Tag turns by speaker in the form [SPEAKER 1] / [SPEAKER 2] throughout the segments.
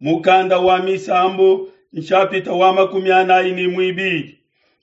[SPEAKER 1] Mukanda wa Misambu nshapita wa 42.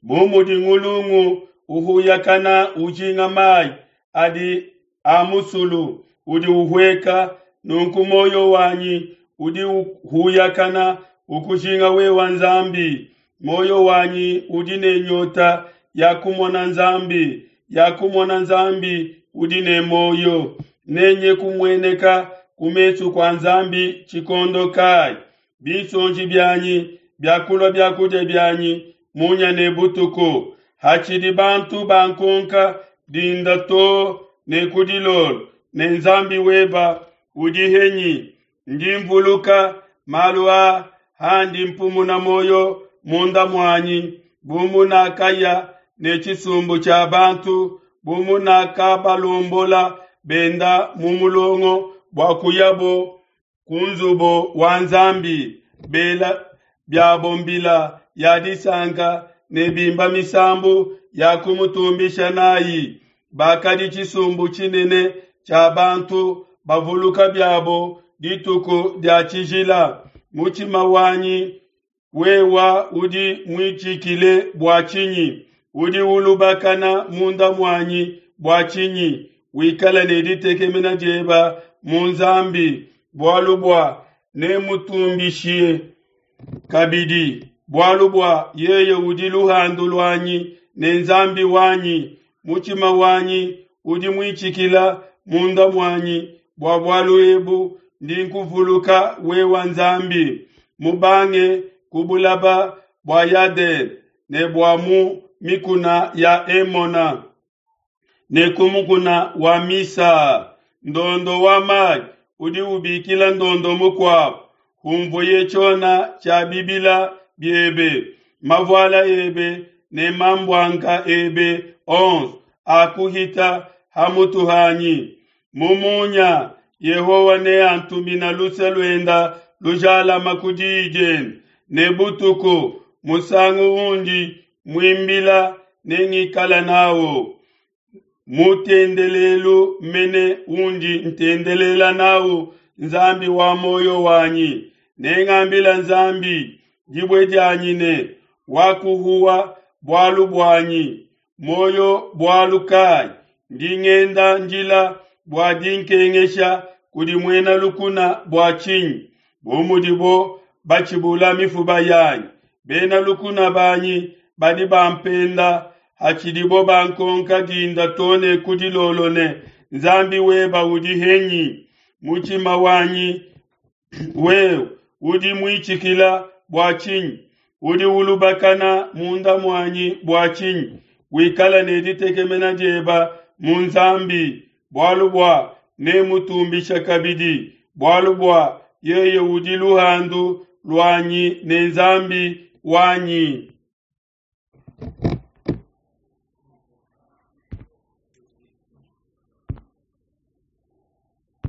[SPEAKER 1] Bu mudi ngulungu uhuyakana ujinga mayi adi a musulu udi uhueka, nunku muoyo wanyi udi uhuyakana ukujinga wewa Nzambi. Muoyo wanyi udi ne nyota ya kumona Nzambi, ya kumona Nzambi udi ne muoyo. Nenye kumueneka ku mesu kua Nzambi tshikondo kayi? Binsonji bianyi biakulua biakudia bianyi munya ne butuku. Hatshidi bantu bankonka dinda too ne ku dilolo ne Nzambi weba udi henyi? Ndi mvuluka malu aa handi mpumuna muoyo munda muanyi, bu munakaya ne tshisumbu tshia bantu, bu munakabalombola benda mu mulongo bua kuyabo ku nzubu wa Nzambi, bela biabo mbila ya disanka ne bimba misambu ya kumutumbisha nayi. Bakadi tshisumbu tshinene tshia bantu bavuluka biabo dituku dia tshijila. Mutshima wanyi wewa udi muitshikile bua tshinyi? Udi ulubakana munda muanyi bua tshinyi? Wikale ne ditekemena dieba mu Nzambi, bualu bua nemutumbishie kabidi, bualu bua yeye udi luhandu luanyi ne Nzambi wanyi. Mutshima wanyi udi muitshikila munda muanyi, bua bualu ebu ndi nkuvuluka wewa Nzambi, mubange ku bulaba bua Yadene ne bua mu mikuna ya Emona ne ku mukuna wa Misa. Ndondo wa mayi udi ubikila ndondo mukuabu, humvuye tshiona tshia bibila biebe, mavuala ebe ne mambuanka ebe onso akuhita ha mutu hanyi. Mu munya Yehowa neantumina luse luenda lujalama ku diyi diende, ne butuku musangu undi muimbila nengikala nawo. Mutendelelu mene undi ntendelela nawu Nzambi wa muoyo wanyi. Nengambila Nzambi dibue dianyi ne wakuhuwa bualu buanyi. Muoyo bualu kayi? Ndi ngenda njila bua dinkengesha kudi muena lukuna bua tshinyi? Bu mudibo batshibula mifuba yanyi, bena lukuna banyi badi bampenda hatshidibo bankonka dinda too ne ku dilolo ne, Nzambi weba udi henyi? Mutshima wanyi wewe udi muitshikila bua tshinyi? Udi ulubakana munda muanyi bua tshinyi? Wikala ne ditekemena dieba mu Nzambi, bualu bua nemutumbisha kabidi, bualu bua yeye udi luhandu luanyi ne Nzambi wanyi.